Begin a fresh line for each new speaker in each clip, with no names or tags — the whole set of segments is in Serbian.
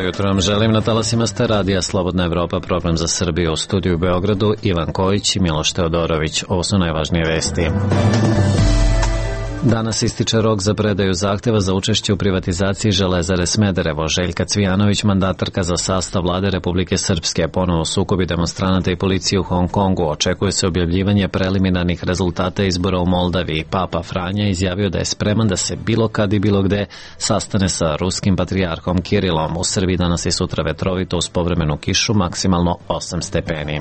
jutro vam želim. Na talasima ste radija Slobodna Evropa, program za Srbiju. U studiju u Beogradu Ivan Kojić i Miloš Teodorović. Ovo su najvažnije vesti. Danas ističe rok za predaju zahteva za učešće u privatizaciji Železare Smederevo. Željka Cvijanović, mandatarka za sastav vlade Republike Srpske, ponovo sukobi demonstranata i policije u Hong Kongu. Očekuje se objavljivanje preliminarnih rezultata izbora u Moldaviji. Papa Franja izjavio da je spreman da se bilo kad i bilo gde sastane sa ruskim patrijarhom Kirilom. U Srbiji danas i sutra vetrovito uz povremenu kišu, maksimalno 8 stepeni.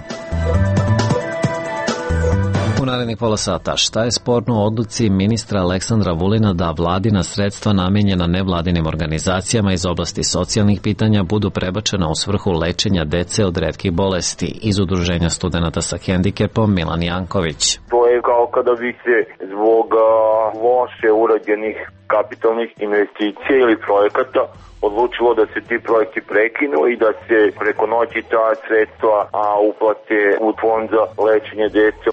U narednih pola sata, šta je sporno u odluci ministra Aleksandra Vulina da vladina sredstva namenjena nevladinim organizacijama iz oblasti socijalnih pitanja budu prebačena u svrhu lečenja dece od retkih bolesti? Iz Udruženja studenata sa hendikepom Milan Janković.
To je kao kada bi se zbog loše urađenih kapitalnih investicija ili projekata odlučilo da se ti projekti prekinu i da se preko noći ta sredstva uplate u fond za lečenje dece.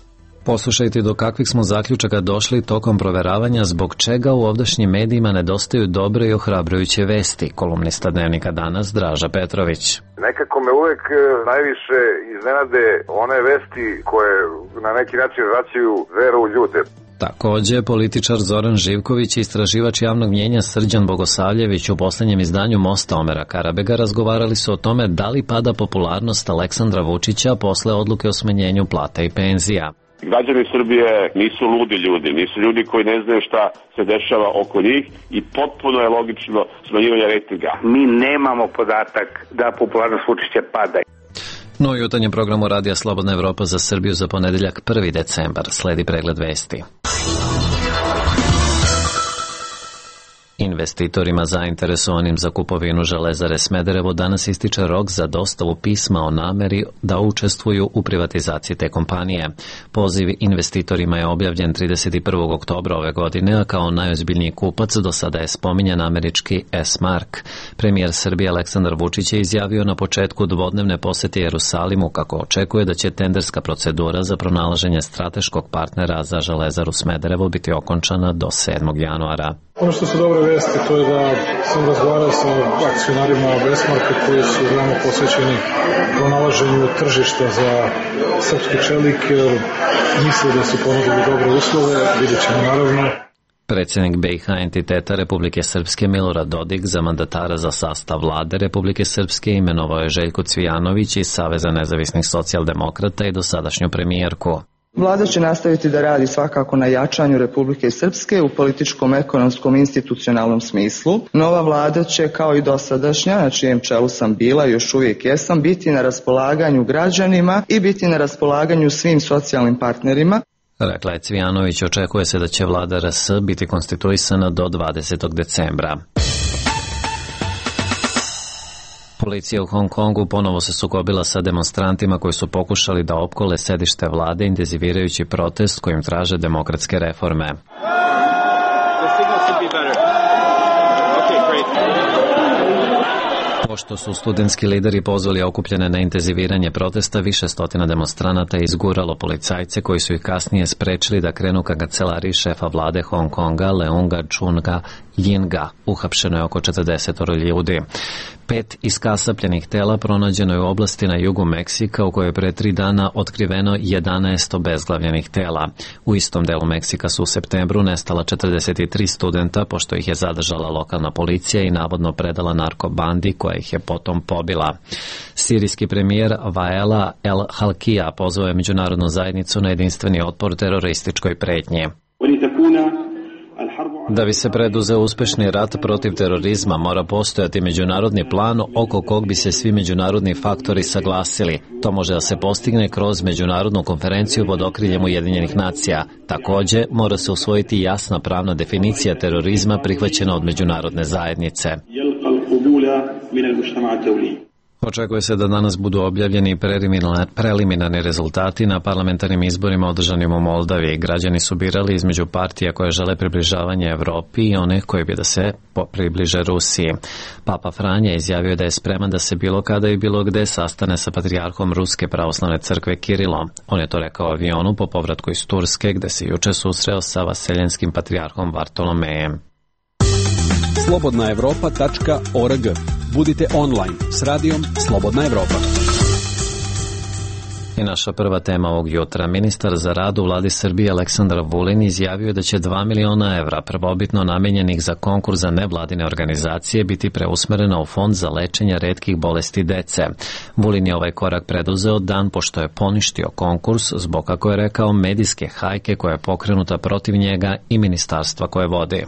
Poslušajte do kakvih smo zaključaka došli tokom proveravanja zbog čega u ovdašnjim medijima nedostaju dobre i ohrabrujuće vesti. Kolumnista Dnevnika Danas Draža Petrović.
Nekako me uvek najviše iznenade one vesti koje na neki način vraćaju veru u ljude.
Takođe, političar Zoran Živković i istraživač javnog mnjenja Srđan Bogosavljević u poslednjem izdanju Mosta Omera Karabega razgovarali su o tome da li pada popularnost Aleksandra Vučića posle odluke o smanjenju plata i penzija.
Građani Srbije nisu ludi ljudi, nisu ljudi koji ne znaju šta se dešava oko njih i potpuno je logično smanjivanje rejtinga.
Mi nemamo podatak da popularnost Vučića pada.
No u jutarnjem programu Radija Slobodna Evropa za Srbiju za ponedeljak 1. decembar sledi pregled vesti. Investitorima zainteresovanim za kupovinu Železare Smederevo danas ističe rok za dostavu pisma o nameri da učestvuju u privatizaciji te kompanije. Poziv investitorima je objavljen 31. oktobra ove godine, a kao najozbiljniji kupac do sada je spominjan američki S-Mark. Premijer Srbije Aleksandar Vučić je izjavio na početku dvodnevne posete Jerusalimu kako očekuje da će tenderska procedura za pronalaženje strateškog partnera za Železaru Smederevo biti okončana do 7. januara.
Ono što su dobre vesti, to je da sam razgovarao sa akcionarima S-Marka koji su veoma posvećeni pronalaženju tržišta za srpski čelik, jer misle da su ponudili dobre uslove, vidjet ćemo naravno.
Predsjednik BiH entiteta Republike Srpske Milorad Dodik za mandatara za sastav vlade Republike Srpske imenovao je Željku Cvijanović iz Saveza nezavisnih socijaldemokrata i dosadašnju premijerku.
Vlada će nastaviti da radi svakako na jačanju Republike Srpske u političkom, ekonomskom i institucionalnom smislu. Nova vlada će, kao i dosadašnja, na čijem čelu sam bila i još uvijek jesam, biti na raspolaganju građanima i biti na raspolaganju svim socijalnim partnerima.
Rekla je Cvijanović, očekuje se da će vlada RS biti konstituisana do 20. decembra. Policija u Hong Kongu ponovo se sukobila sa demonstrantima koji su pokušali da opkole sedište vlade intenzivirajući protest kojim traže demokratske reforme. Pošto su studentski lideri pozvali okupljene na intenziviranje protesta, više stotina demonstranata je izguralo policajce koji su ih kasnije sprečili da krenu ka kancelariji šefa vlade Hong Konga Leunga Chunga Yinga. Uhapšeno je oko 40 ljudi. 5 iskasapljenih tela pronađeno je u oblasti na jugu Meksika u kojoj je pre 3 dana otkriveno 11 obezglavljenih tela. U istom delu Meksika su u septembru nestala 43 studenta pošto ih je zadržala lokalna policija i navodno predala narkobandi koja ih je potom pobila. Sirijski premijer Waela El Halkija pozvao je međunarodnu zajednicu na jedinstveni otpor terorističkoj pretnji. Da bi se preduzeo uspešni rat protiv terorizma, mora postojati međunarodni plan oko kog bi se svi međunarodni faktori saglasili. To može da se postigne kroz međunarodnu konferenciju pod okriljem Ujedinjenih nacija. Takođe, mora se usvojiti jasna pravna definicija terorizma prihvaćena od međunarodne zajednice. Očekuje se da danas budu objavljeni preliminarni rezultati na parlamentarnim izborima održanim u Moldaviji. Građani su birali između partija koje žele približavanje Evropi i one koje bi da se približe Rusiji. Papa Franja izjavio da je spreman da se bilo kada i bilo gde sastane sa patrijarhom Ruske pravoslavne crkve Kirilom. On je to rekao u avionu po povratku iz Turske, gde se juče susreo sa vaseljenskim patrijarhom Vartolomejem.
Slobodnaevropa.org. Budite online s radijom Slobodna Evropa.
I naša prva tema ovog jutra. Ministar za rad u vladi Srbije Aleksandar Vulin izjavio da će 2 miliona evra prvobitno namenjenih za konkurs za nevladine organizacije biti preusmereno u fond za lečenje retkih bolesti dece. Vulin je ovaj korak preduzeo dan pošto je poništio konkurs zbog, kako je rekao, medijske hajke koja je pokrenuta protiv njega i ministarstva koje vodi.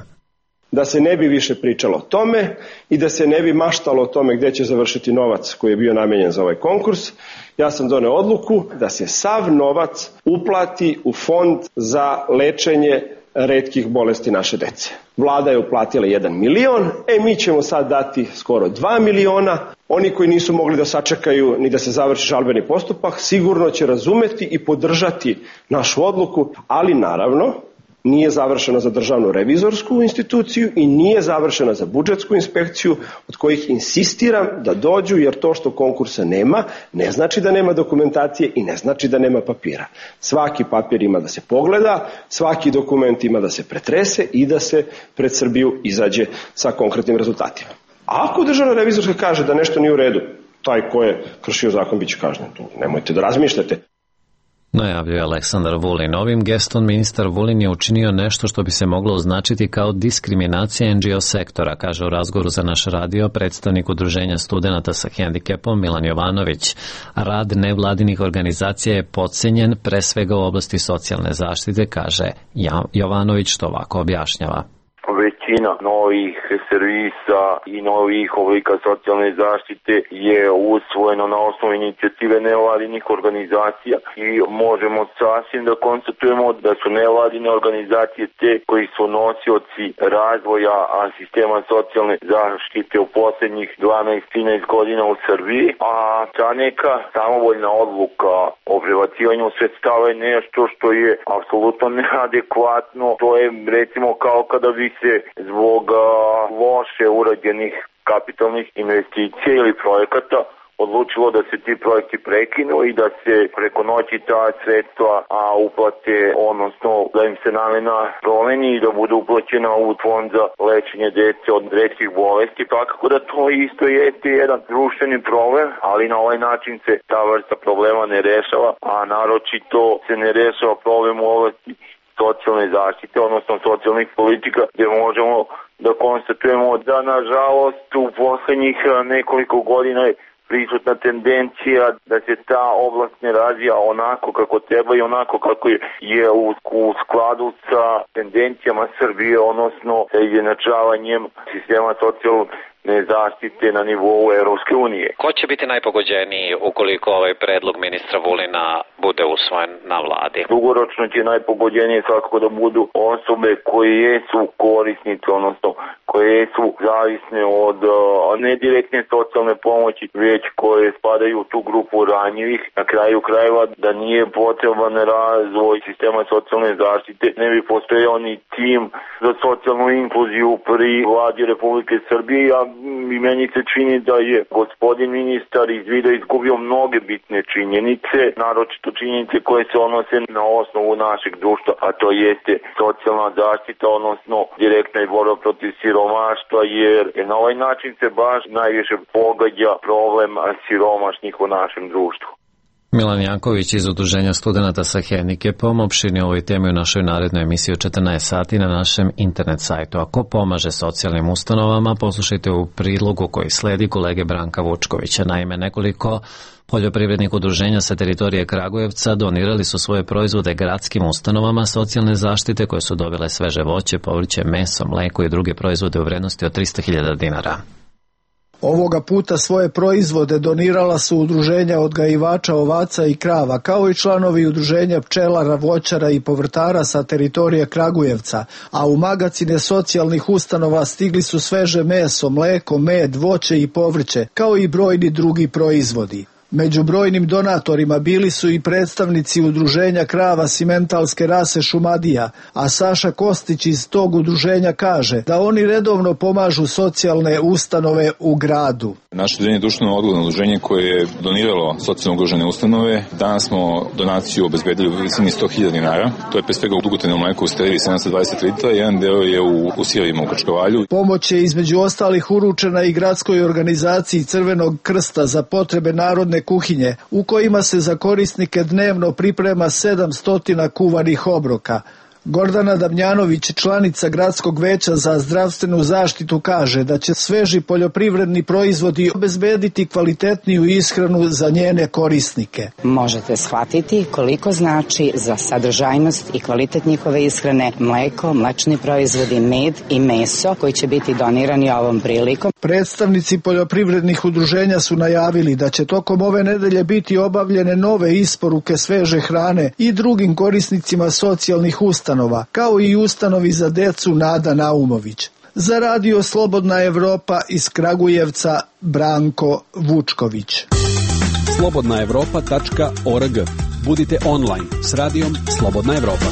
Da se ne bi više pričalo o tome i da se ne bi maštalo o tome gde će završiti novac koji je bio namenjen za ovaj konkurs, ja sam doneo odluku da se sav novac uplati u fond za lečenje retkih bolesti naše dece. Vlada je uplatila 1 milion, mi ćemo sad dati skoro 2 miliona. Oni koji nisu mogli da sačekaju ni da se završi žalbeni postupak, sigurno će razumeti i podržati našu odluku, ali naravno, nije završeno za državnu revizorsku instituciju i nije završeno za budžetsku inspekciju, od kojih insistiram da dođu, jer to što konkursa nema ne znači da nema dokumentacije i ne znači da nema papira. Svaki papir ima da se pogleda, svaki dokument ima da se pretrese i da se pred Srbiju izađe sa konkretnim rezultatima. A ako državna revizorska kaže da nešto nije u redu, taj ko je kršio zakon biće kažnjen. Nemojte da razmišljate.
Najavljuje Aleksandar Vulin. Ovim gestom ministar Vulin je učinio nešto što bi se moglo označiti kao diskriminacija NGO sektora, kaže u razgovoru za naš radio predstavnik Udruženja studenata sa hendikepom Milan Jovanović. Rad nevladinih organizacija je podcenjen pre svega u oblasti socijalne zaštite, kaže Jovanović, što ovako objašnjava.
Većina novih servisa i novih oblika socijalne zaštite je usvojeno na osnovu inicijative nevladinih organizacija i možemo sasvim da konstatujemo da su nevladine organizacije te koji su nosioci razvoja sistema socijalne zaštite u poslednjih 12-13 godina u Srbiji, a ta neka samovoljna odluka o prebacivanju sredstava je nešto što je apsolutno neadekvatno. To je recimo kao kada bi se zbog loše urađenih kapitalnih investicija ili projekata odlučilo da se ti projekti prekinu i da se preko noći ta sredstva uplate, odnosno da im se namena promeni i da bude uplaćena u fond za lečenje dece od retkih bolesti. Tako da to isto jeste jedan društveni problem, ali na ovaj način se ta vrsta problema ne rešava, a naročito se ne rešava problem u oblasti socijalne zaštite, odnosno socijalnih politika, gdje možemo da konstatujemo da nažalost u poslednjih nekoliko godina je prisutna tendencija da se ta oblast ne razvija onako kako treba i onako kako je u skladu sa tendencijama Srbije, odnosno sa izjednačavanjem sistema socijalne zaštite na nivou Evropske unije.
Ko će biti najpogođeniji ukoliko ovaj predlog ministra Vulina bude usvojen na vladi?
Dugoročno će najpogođenije svakako da budu osobe koje jesu korisnice, odnosno koje su zavisne od ne direktne socijalne pomoći, već koje spadaju u tu grupu ranjivih. Na kraju krajeva da nije potreban razvoj sistema socijalne zaštite, ne bi postojao ni tim za socijalnu inkluziju pri vladi Republike Srbije, i meni se čini da je gospodin ministar iz vida izgubio mnoge bitne činjenice, naročito činjenice koje se odnose na osnovu našeg društva, a to jeste socijalna zaštita, odnosno direktna i borba protiv siromaštva, jer na ovaj način se baš najviše pogađa problem siromašnih u našem društvu.
Milan Janković iz Udruženja studenata sa hendikepom opširni ovoj temi u našoj narednoj emisiji od 14 sati na našem internet sajtu. Ako pomaže socijalnim ustanovama, poslušajte u prilogu koji sledi kolege Branka Vučkovića. Naime, nekoliko poljoprivrednih udruženja sa teritorije Kragujevca donirali su svoje proizvode gradskim ustanovama socijalne zaštite koje su dobile sveže voće, povrće, meso, mleko i druge proizvode u vrednosti od 300.000 dinara.
Ovoga puta svoje proizvode donirala su udruženja odgajivača ovaca i krava, kao i članovi udruženja pčelara, voćara i povrtara sa teritorije Kragujevca, a u magacine socijalnih ustanova stigli su sveže meso, mleko, med, voće i povrće, kao i brojni drugi proizvodi. Među brojnim donatorima bili su i predstavnici udruženja krava simentalske rase Šumadija, a Saša Kostić iz tog udruženja kaže da oni redovno pomažu socijalne ustanove u gradu.
Naše udruženje je društveno odgovorno udruženje koje je doniralo socijalno ugrožene ustanove. Danas smo donaciju obezbedili u visini 100.000 dinara. To je pre svega u dugotrajnom mleku u Steriji 720 litara, jedan deo je u sirovima u Krčkovalju.
Pomoć je između ostalih uručena i gradskoj organizaciji Crvenog krsta za potrebe narodne kuhinje, u kojima se za korisnike dnevno priprema 700 kuvanih obroka. Gordana Damjanović, članica Gradskog veća za zdravstvenu zaštitu, kaže da će sveži poljoprivredni proizvodi obezbediti kvalitetniju ishranu za njene korisnike.
Možete shvatiti koliko znači za sadržajnost i kvalitet njihove ishrane mleko, mlečni proizvodi, med i meso koji će biti donirani ovom prilikom.
Predstavnici poljoprivrednih udruženja su najavili da će tokom ove nedelje biti obavljene nove isporuke sveže hrane i drugim korisnicima socijalnih ustanova, kao i ustanovi za decu Nada Naumović. Za radio Slobodna Evropa iz Kragujevca, Branko Vučković.
slobodnaevropa.org. Budite online s radijom Slobodna Evropa.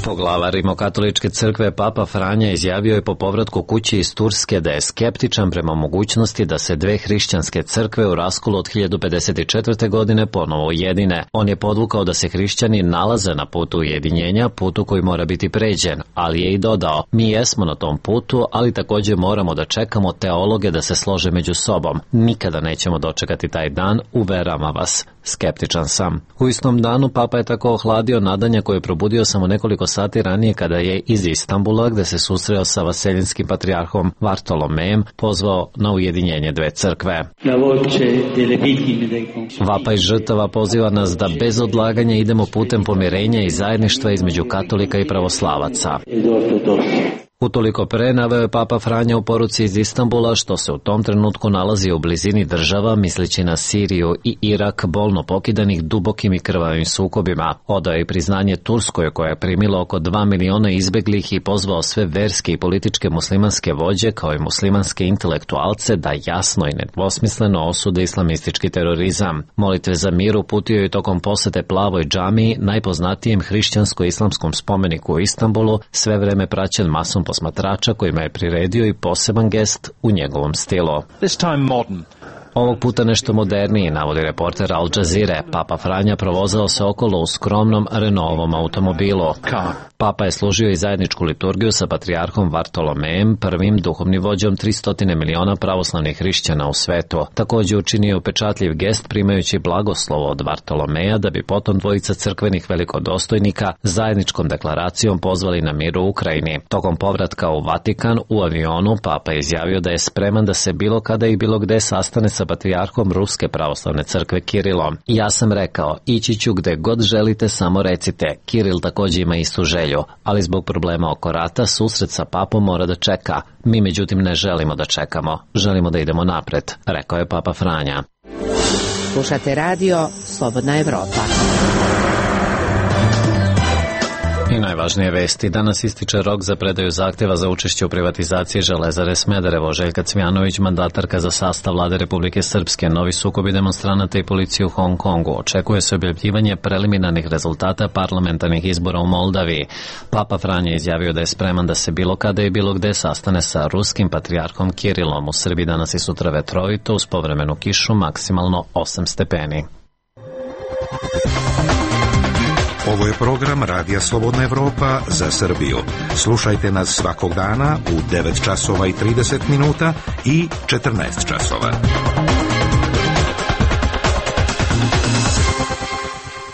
Poglavar Rimokatoličke crkve Papa Franja izjavio je po povratku kući iz Turske da je skeptičan prema mogućnosti da se dve hrišćanske crkve u raskolu od 1054. godine ponovo ujedine. On je podvukao da se hrišćani nalaze na putu ujedinjenja, putu koji mora biti pređen, ali je i dodao: mi jesmo na tom putu, ali također moramo da čekamo teologe da se slože među sobom. Nikada nećemo dočekati taj dan, uveravam vas. Skeptičan sam. U istom danu Papa je tako ohladio nadanja koje je probudio samo nekoliko sati ranije kada je iz Istanbula, gde se susreo sa vaseljinskim patrijarhom Vartolomejem, pozvao na ujedinjenje dve crkve. Vapaj žrtava poziva nas da bez odlaganja idemo putem pomirenja i zajedništva između katolika i pravoslavaca. Utoliko pre naveo je Papa Franja u poruci iz Istanbula, što se u tom trenutku nalazi u blizini država, misleći na Siriju i Irak, bolno pokidanih dubokim i krvavim sukobima. Odao je i priznanje Turskoj, koja je primila oko 2 miliona izbeglih, i pozvao sve verske i političke muslimanske vođe kao i muslimanske intelektualce da jasno i nedvosmisleno osude islamistički terorizam. Molitve za mir uputio je tokom posete Plavoj džamiji, najpoznatijem hrišćansko-islamskom spomeniku u Istanbulu, sve vreme praćen masom posmatrača kojima je priredio i poseban gest u njegovom stilu. Ovog puta nešto moderniji, navodi reporter Al Jazeere. Papa Franja provozao se okolo u skromnom Renaultovom automobilu. Papa je služio i zajedničku liturgiju sa patrijarhom Vartolomejem, prvim duhovnim vođom 300 miliona pravoslavnih hrišćana u svetu. Također učinio upečatljiv gest primajući blagoslovo od Vartolomeja, da bi potom dvojica crkvenih velikodostojnika zajedničkom deklaracijom pozvali na mir u Ukrajini. Tokom povratka u Vatikan u avionu Papa je izjavio da je spreman da se bilo kada i bilo gde sastane sa patrijarhom Ruske pravoslavne crkve Kirilom. Ja sam rekao, ići ću gde god želite, samo recite. Kiril također ima istu želju, ali zbog problema oko rata susret sa papom mora da čeka. Mi međutim ne želimo da čekamo, želimo da idemo napred, rekao je Papa Franja.
Slušate radio Slobodna Evropa.
I najvažnije vesti. Danas ističe rok za predaju zahtjeva za učešće u privatizaciji Železare Smederevo. Željka Cvjanović, mandatarka za sastav vlade Republike Srpske, novi sukobi demonstranata i policije u Hong Kongu. Očekuje se objavljivanje preliminarnih rezultata parlamentarnih izbora u Moldaviji. Papa Franja izjavio da je spreman da se bilo kada i bilo gde sastane sa ruskim patrijarhom Kirilom. U Srbiji danas i sutra vetrovito, uz povremenu kišu, maksimalno 8 stepeni.
Ovo je program Radija Slobodna Evropa za Srbiju. Slušajte nas svakog dana u 9 časova i 30 minuta i 14 časova.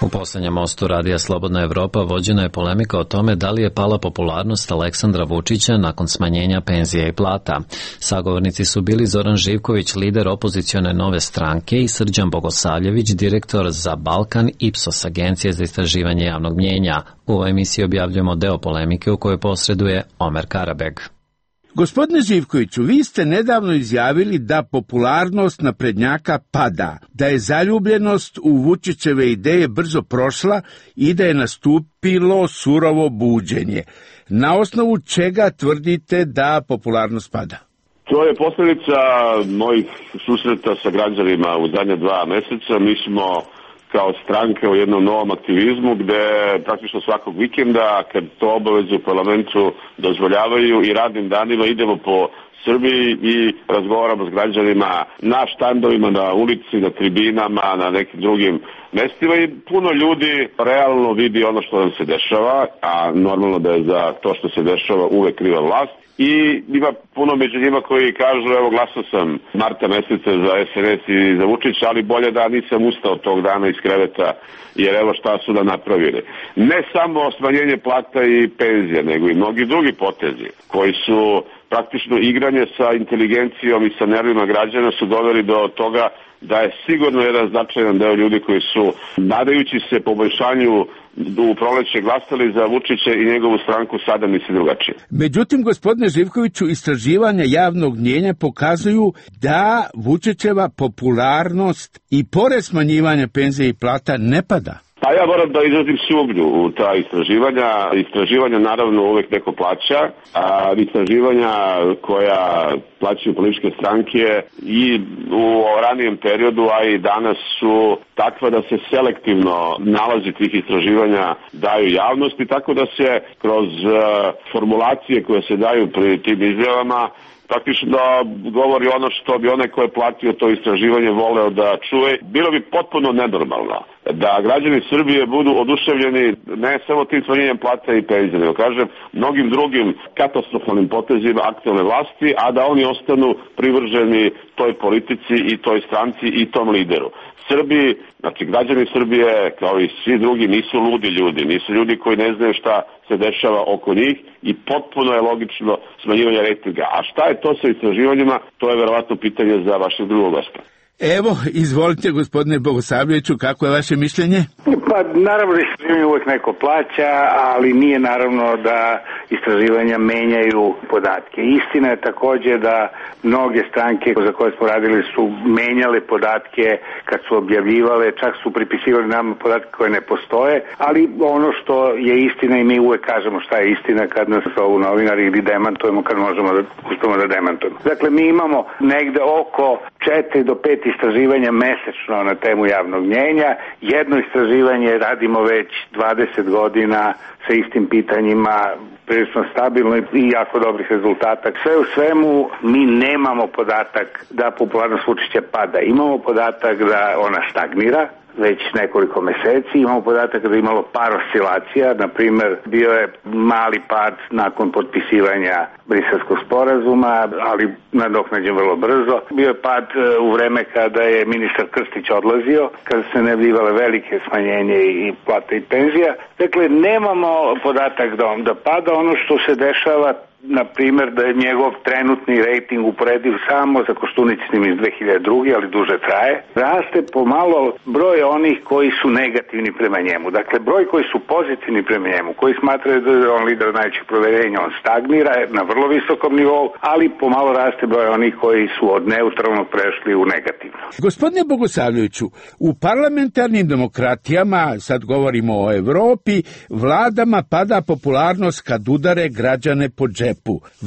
U posljednjem mostu Radija Slobodna Evropa vođena je polemika o tome da li je pala popularnost Aleksandra Vučića nakon smanjenja penzija i plata. Sagovornici su bili Zoran Živković, lider opozicione Nove stranke, i Srđan Bogosavljević, direktor za Balkan Ipsos, agencije za istraživanje javnog mnjenja. U ovoj emisiji objavljujemo deo polemike u kojoj posreduje Omer Karabeg.
Gospodine Živkoviću, vi ste nedavno izjavili da popularnost naprednjaka pada, da je zaljubljenost u Vučićeve ideje brzo prošla i da je nastupilo surovo buđenje. Na osnovu čega tvrdite da popularnost pada?
To je posljedica mojih susreta sa građanima u zadnja 2 meseca. Mi smo kao stranka u jednom novom aktivizmu gde praktično svakog vikenda, kad to obaveze u parlamentu dozvoljavaju, i radnim danima idemo po Srbiji i razgovaramo s građanima na štandovima, na ulici, na tribinama, na nekim drugim mestima, i puno ljudi realno vidi ono što nam se dešava, a normalno da je za to što se dešava uvek kriva vlast. I ima puno među njima koji kažu, evo, glasao sam marta meseca za SNS i za Vučića, ali bolje da nisam ustao tog dana iz kreveta, jer evo šta su da napravili. Ne samo smanjenje plata i penzija, nego i mnogi drugi potezi koji su praktično igranje sa inteligencijom i sa nervima građana su doveli do toga da je sigurno jedan značajan deo ljudi koji su, nadajući se poboljšanju u proleće, glasali za Vučića i njegovu stranku, sada misli drugačije.
Međutim, gospodine Živkoviću, istraživanja javnog mnijenja pokazuju da Vučićeva popularnost i pored smanjivanja penzija i plata ne pada.
Pa ja moram da izrazim sumnju u ta istraživanja. Istraživanja naravno uvek neko plaća, a istraživanja koja plaćaju političke stranke i u ranijem periodu, a i danas su takva da se selektivno nalazi tih istraživanja daju javnosti, tako da se kroz formulacije koje se daju pri tim izjavama praktično govori ono što bi onaj ko je platio to istraživanje voleo da čuje. Bilo bi potpuno nenormalno da građani Srbije budu oduševljeni ne samo tim smanjenjem plata i penzija, nego kažem mnogim drugim katastrofalnim potezima aktualne vlasti, a da oni ostanu privrženi toj politici i toj stranci i tom lideru. Srbiji, znači građani Srbije kao i svi drugi nisu ludi ljudi, nisu ljudi koji ne znaju šta se dešava oko njih i potpuno je logično smanjivanje rejtinga. A šta je to sa istraživanjima, to je verovatno pitanje za vašeg drugog gosta.
Evo, izvolite gospodine Bogosavljeviću, kako je vaše mišljenje?
Pa naravno da istraživanje uvek neko plaća, ali nije naravno da istraživanja menjaju podatke. Istina je takođe da mnoge stranke za koje smo radili su menjale podatke kad su objavljivale, čak su pripisivali nama podatke koje ne postoje, ali ono što je istina i mi uvek kažemo šta je istina kad nas zovu novinari ili demantujemo kad možemo da uspemo da demantujemo. Dakle, mi imamo negde oko 4 do 5 istraživanja mesečno na temu javnog mnjenja. Jedno istraživanje radimo već 20 godina sa istim pitanjima, prilično stabilno i jako dobrih rezultata. Sve u svemu mi nemamo podatak da popularnost Vučića pada. Imamo podatak da ona stagnira već nekoliko meseci. Imamo podatak da je imalo par oscilacija, na primer bio je mali pad nakon potpisivanja Briselskog sporazuma, ali nadoknađen vrlo brzo. Bio je pad u vreme kada je ministar Krstić odlazio, kada se najavljivale velike smanjenje i plata i penzija. Dakle, nemamo podatak da pada. Ono što se dešava, na primjer, da je njegov trenutni rejting uporediv samo sa Koštunicnim iz 2002. ali duže traje, raste pomalo broj onih koji su negativni prema njemu. Dakle, broj koji su pozitivni prema njemu, koji smatraju da je on lider najvećeg poverenja, on stagnira na vrlo visokom nivou, ali pomalo raste broj onih koji su od neutralnog prešli u negativno.
Gospodine Bogosavljeviću, u parlamentarnim demokratijama, sad govorimo o Evropi, vladama pada popularnost kad udare građane po džepu.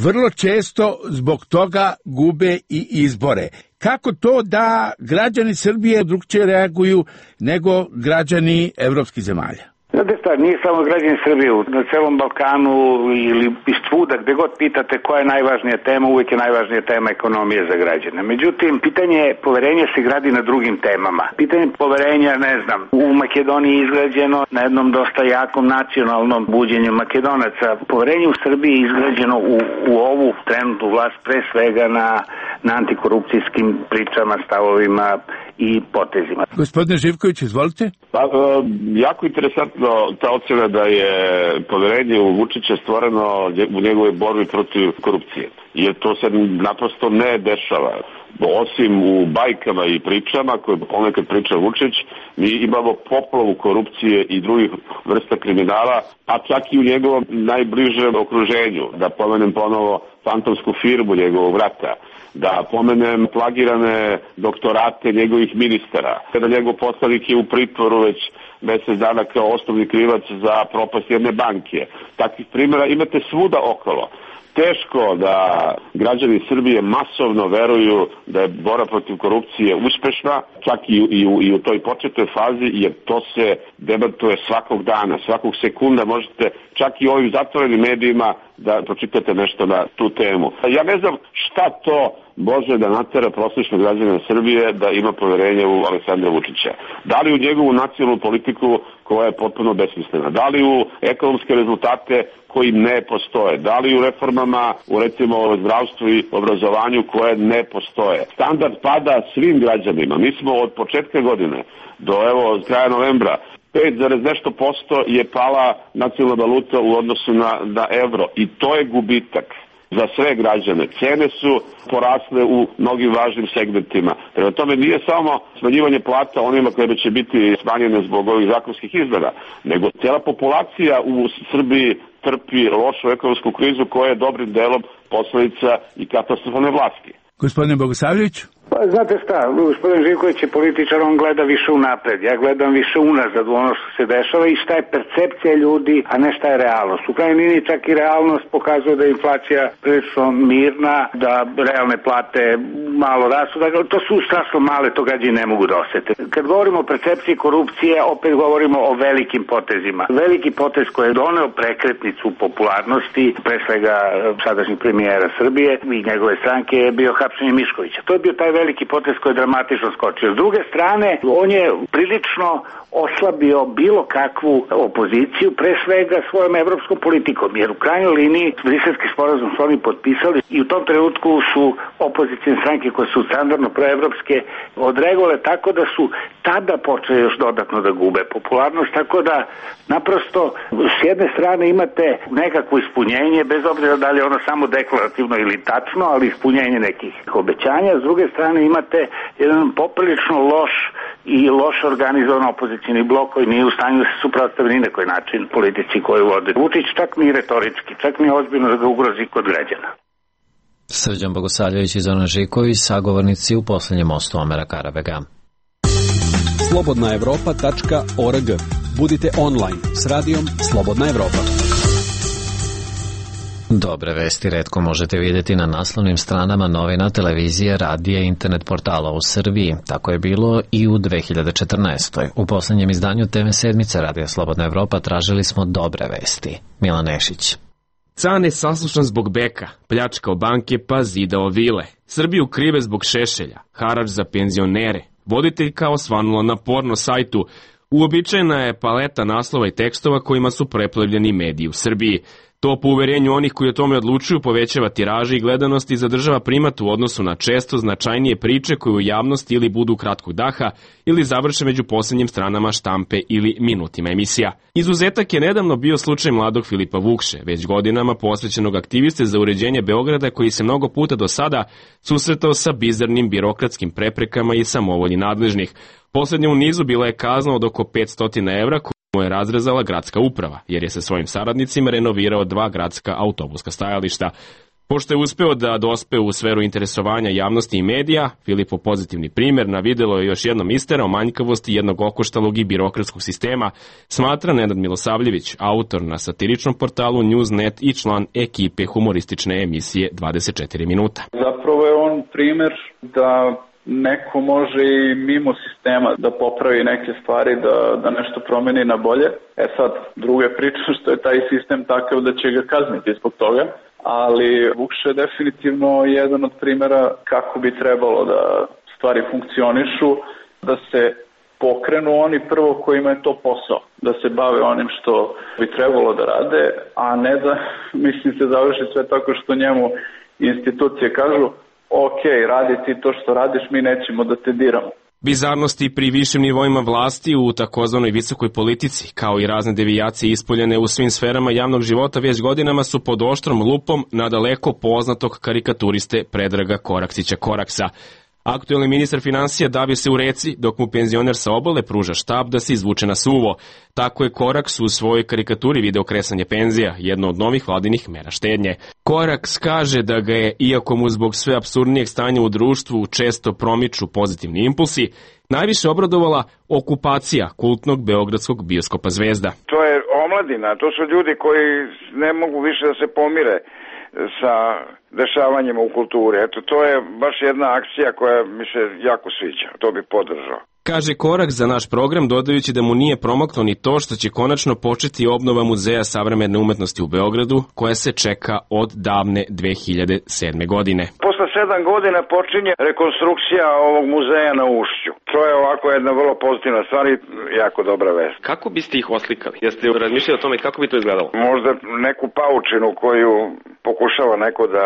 Vrlo često zbog toga gube i izbore. Kako to da građani Srbije drugčije reaguju nego građani evropskih zemalja?
Znate šta, nije samo građani Srbije, na celom Balkanu ili iz svuda, gde god pitate koja je najvažnija tema, uvijek je najvažnija tema ekonomije za građane. Međutim, pitanje poverenja se gradi na drugim temama. Pitanje poverenja, ne znam, u Makedoniji je izgrađeno na jednom dosta jakom nacionalnom buđenju Makedonaca. Poverenje u Srbiji je izgrađeno u ovu trenutnu vlast pre svega na antikorupcijskim pričama, stavovima i potezima.
Gospodine Živković, izvolite.
Jako interesantno ta ocena da je poverenje u Vučića stvoreno u njegove borbi protiv korupcije. Jer to se naprosto ne dešava. Osim u bajkama i pričama koje ponekad priča Vučić, mi imamo poplavu korupcije i drugih vrsta kriminala, a čak i u njegovom najbližem okruženju. Da pomenem ponovo fantomsku firmu njegovog vrata, da pomenem plagirane doktorate njegovih ministara, kada njegov poslanik je u pritvoru već mesec dana kao osnovni krivac za propast jedne banke. Takvih primjera imate svuda okolo. teško da građani Srbije masovno veruju da je borba protiv korupcije uspešna, čak i u toj početnoj fazi, jer to se debatuje svakog dana, svakog sekunda možete čak i ovim zatvorenim medijima da pročitate nešto na tu temu. Ja ne znam šta to može da natera prosječnog građana Srbije da ima poverenje u Aleksandra Vučića. Da li u njegovu nacionalnu politiku koja je potpuno besmislena, da li u ekonomske rezultate koji ne postoje, da li u reformama u recimo zdravstvu i obrazovanju koje ne postoje. Standard pada svim građanima. Mi smo od početka godine do evo kraja novembra 5,nešto% je pala nacionalna valuta u odnosu na evro i to je gubitak za sve građane. Cene su porasle u mnogim važnim segmentima. Prema tome nije samo smanjivanje plata onima koje će biti smanjene zbog ovih zakonskih izmena, nego cijela populacija u Srbiji trpi lošu ekonomsku krizu koja je dobrim delom posledica i katastrofalne vlasti.
Gospodine Bogosavljević?
Pa znate šta, gospodin Živković je političar, on gleda više unapred, ja gledam više unazad u ono što se dešava i šta je percepcija ljudi, a ne šta je realnost. U krajnjoj liniji čak i realnost pokazuje da je inflacija prilično mirna, da realne plate malo rastu, dakle to su strašno male, to građani ne mogu da osete. Kad govorimo o percepciji korupcije, opet govorimo o velikim potezima. Veliki potez koji je doneo prekretnicu popularnosti, pre svega sadašnjeg premijera Srbije i njegove stranke je bio hapšenje Miškovića. To je bio taj veliki potez koji je dramatično skočio. S druge strane, on je prilično oslabio bilo kakvu opoziciju, pre svega svojom evropskom politikom, jer u krajnjoj liniji Briselski sporazum su oni potpisali i u tom trenutku su opozicijne stranke koje su standardno proevropske odreagovale tako da su tada počeli još dodatno da gube popularnost, tako da naprosto s jedne strane imate nekakvo ispunjenje, bez obzira da li je ono samo deklarativno ili tačno, ali ispunjenje nekih obećanja, s druge strane imate jedan poprilično loš i loš organizovan opozicijni blok koji nije u stanju da se suprotstavi ni na koji način politici koju vode Vučić, čak ni retorički, čak ni ozbiljno da ga ugrozi kod građana.
Srđan Bogosavljević i Zoran Živković, sagovornici u posljednjem mostu Omera Karabega.
slobodnaevropa.org. Budite online s radijom Slobodna Evropa.
Dobre vesti retko možete vidjeti na naslovnim stranama novina, televizije, radija i internet portala u Srbiji. Tako je bilo i u 2014. U posljednjem izdanju TV sedmice Radija Slobodna Evropa tražili smo dobre vesti. Milan Nešić.
Cane saslušan zbog beka, pljačkao banke pa zidao vile. Srbiju krive zbog Šešelja, harač za penzionere. Voditeljka osvanula na porno sajtu. Uobičajena je paleta naslova i tekstova kojima su preplevljeni mediji u Srbiji. To po uverenju onih koji o tome odlučuju povećava tiraže i gledanost i zadržava primat u odnosu na često značajnije priče koje u javnosti ili budu kratkog daha ili završe među posljednjim stranama štampe ili minutima emisija. Izuzetak je nedavno bio slučaj mladog Filipa Vukše, već godinama posvećenog aktiviste za uređenje Beograda koji se mnogo puta do sada susretao sa bizarnim birokratskim preprekama i samovolji nadležnih. Poslednja u nizu bila je kazna od oko 500 evra mu je razrezala gradska uprava, jer je sa svojim saradnicima renovirao 2 gradska autobuska stajališta. Pošto je uspeo da dospe u sferu interesovanja javnosti i medija, Filipov pozitivni primjer na videlo je još jednom isterao manjkavosti jednog okoštalog i birokratskog sistema, smatra Nenad Milosavljević, autor na satiričnom portalu Newsnet i član ekipe humoristične emisije 24 minuta.
Zapravo je on primjer da neko može i mimo sistema da popravi neke stvari, da nešto promeni na bolje. Sad, druga je priča što je taj sistem takav da će ga kazniti zbog toga, ali Vukše je definitivno jedan od primjera kako bi trebalo da stvari funkcionišu, da se pokrenu oni prvo kojima je to posao, da se bave onim što bi trebalo da rade, a ne da, se završi sve tako što njemu institucije kažu ok, radi ti to što radiš, mi nećemo da te diramo.
Bizarnosti pri višim nivoima vlasti u takozvanoj visokoj politici, kao i razne devijacije ispoljene u svim sferama javnog života već godinama su pod oštrom lupom nadaleko poznatog karikaturiste Predraga Koraksića Koraksa. Aktuelni ministar finansija davio se u reci, dok mu penzioner sa obale pruža štab da se izvuče na suvo. Tako je Koraks u svojoj karikaturi video kresanje penzija, jedno od novih vladinih mera štednje. Koraks kaže da ga je, iako mu zbog sve apsurdnijeg stanja u društvu često promiču pozitivni impulsi, najviše obradovala okupacija kultnog beogradskog bioskopa Zvezda.
To je omladina, to su ljudi koji ne mogu više da se pomire sa dešavanjima u kulturi. Eto, to je baš jedna akcija koja mi se jako sviđa. To bi podržao.
Kaže korak za naš program, dodajući da mu nije promaklo ni to što će konačno početi obnova Muzeja savremene umetnosti u Beogradu, koja se čeka od davne 2007. godine.
Posle 7 godina počinje rekonstrukcija ovog muzeja na Ušću. To je ovako jedna vrlo pozitivna stvar i jako dobra vest.
Kako biste ih oslikali? Jeste razmišljali o tome kako bi to izgledalo?
Možda neku paučinu koju pokušava neko da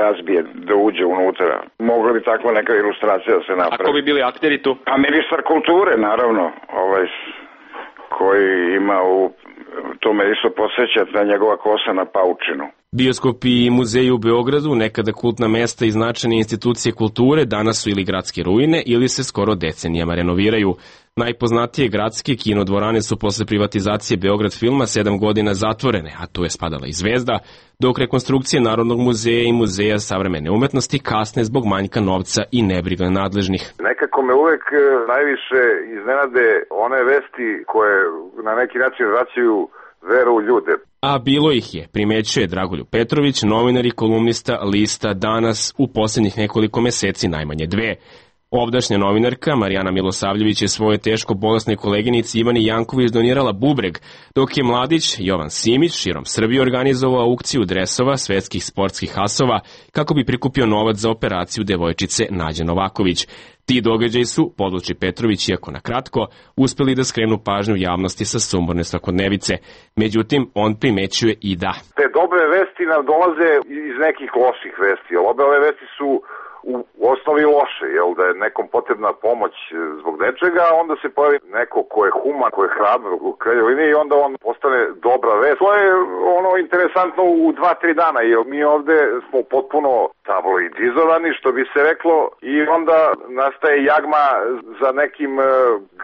razbije, da uđe unutra. Mogla bi takva neka ilustracija da se napravi.
A ko bi bili akteri tu?
A ministar kulture, naravno, koji ima to me isto podsjeća na njegova kosa na paučinu.
Bioskopi i muzeji u Beogradu, nekada kultna mesta i značajne institucije kulture, danas su ili gradske ruine ili se skoro decenijama renoviraju. Najpoznatije gradske kinodvorane su posle privatizacije Beograd filma 7 godina zatvorene, a tu je spadala i Zvezda, dok rekonstrukcije Narodnog muzeja i Muzeja savremene umetnosti kasne zbog manjka novca i nebriga nadležnih.
Nekako me uvek najviše iznenade one vesti koje na neki način vraćaju veru u ljude.
A bilo ih je, primećuje Dragoljub Petrović, novinar i kolumnista lista Danas, u posljednjih nekoliko meseci najmanje 2. Ovdašnja novinarka Marijana Milosavljević je svoje teško bolesnoj koleginici Ivani Janković donirala bubreg, dok je mladić Jovan Simić širom Srbije organizovao aukciju dresova svetskih sportskih asova kako bi prikupio novac za operaciju devojčice Nađe Novaković. Ti događaji su, podvuči Petrović, iako na kratko, uspeli da skrenu pažnju javnosti sa sumorne svakodnevice. Međutim, on primećuje i da
te dobre vesti nam dolaze iz nekih loših vesti, ali obe ove vesti su u osnovi loše, jel, da je nekom potrebna pomoć zbog nečega, a onda se pojavi neko ko je human, ko je hrabar u krajnjoj liniji i onda on postane dobra vest. To je ono interesantno u 2-3 dana, jer mi ovde smo potpuno tabloidizovani, što bi se reklo, i onda nastaje jagma za nekim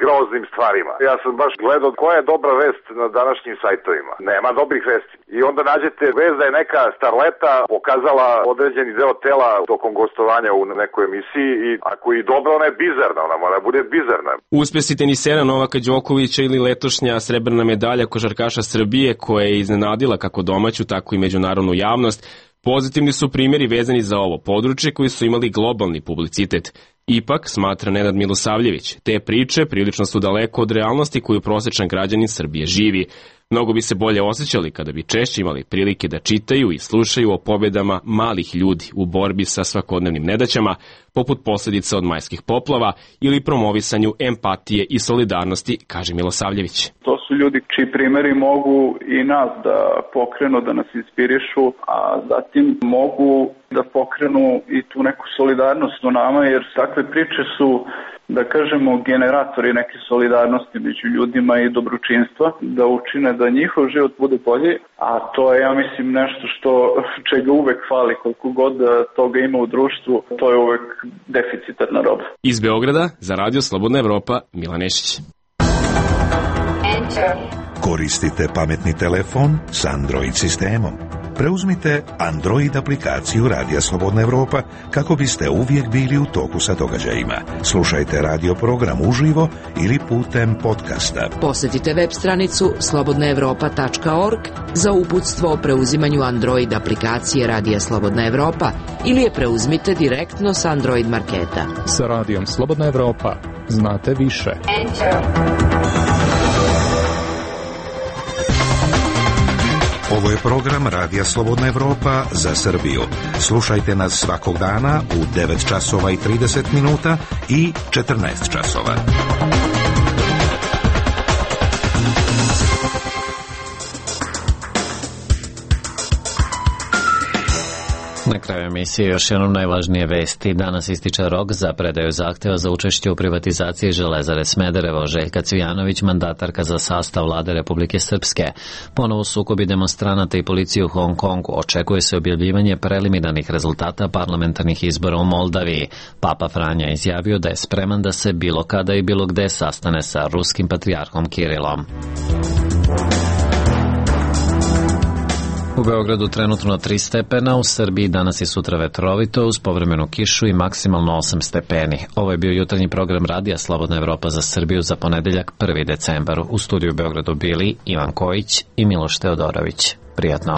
groznim stvarima. Ja sam baš gledao koja je dobra vest na današnjim sajtovima. Nema dobrih vesti. I onda nađete vest da je neka starleta pokazala određeni deo tela tokom gostovanja u nekoj emisiji i ako je dobra, ona je bizarna, ona mora bude bizarna.
Uspesi tenisera Novaka Đokovića ili letošnja srebrna medalja košarkaša Srbije, koja je iznenadila kako domaću, tako i međunarodnu javnost, pozitivni su primjeri vezani za ovo područje koji su imali globalni publicitet. Ipak, smatra Nenad Milosavljević, te priče prilično su daleko od realnosti koju prosječan građanin Srbije živi. Mnogo bi se bolje osjećali kada bi češće imali prilike da čitaju i slušaju o pobjedama malih ljudi u borbi sa svakodnevnim nedaćama, poput posljedica od majskih poplava ili promovisanju empatije i solidarnosti, kaže Milosavljević.
To su ljudi čiji primjeri mogu i nas da pokrenu, da nas inspirišu, a zatim mogu da pokrenu i tu neku solidarnost u nama, jer takve priče su, da kažemo, generatori neke solidarnosti među ljudima i dobročinstva, da učine da njihov život bude bolji, a to je, ja mislim, nešto čega uvek fali, koliko god toga ima u društvu, to je uvek deficitarna roba.
Iz Beograda za Radio Slobodna Evropa, Milan Nešić.
Koristite pametni telefon s Android sistemom. Preuzmite Android aplikaciju Radija Slobodna Evropa kako biste uvijek bili u toku sa događajima. Slušajte radio program uživo ili putem podcasta.
Posjetite web stranicu slobodnaevropa.org za uputstvo o preuzimanju Android aplikacije Radija Slobodna Evropa ili je preuzmite direktno s Android marketa.
Sa Radijom Slobodna Evropa znate više.
Ovo je program Radija Slobodna Evropa za Srbiju. Slušajte nas svakog dana u 9 časova i 30 minuta i 14 časova.
Na kraju emisije još jednom najvažnije vesti. Danas ističe rok za predaju zahteva za učešće u privatizaciji Železare Smederevo. Željka Cvijanović, mandatarka za sastav vlade Republike Srpske. Ponovo sukobi demonstranata i policije u Hong Kongu. Očekuje se objavljivanje preliminarnih rezultata parlamentarnih izbora u Moldaviji. Papa Franja izjavio da je spreman da se bilo kada i bilo gde sastane sa ruskim patrijarhom Kirilom. U Beogradu trenutno 3 stepena, u Srbiji danas i sutra vetrovito uz povremenu kišu i maksimalno 8 stepeni. Ovo je bio jutarnji program Radija Slobodna Evropa za Srbiju za ponedeljak 1. decembar. U studiju u Beogradu bili Ivan Kojić i Miloš Teodorović. Prijatno.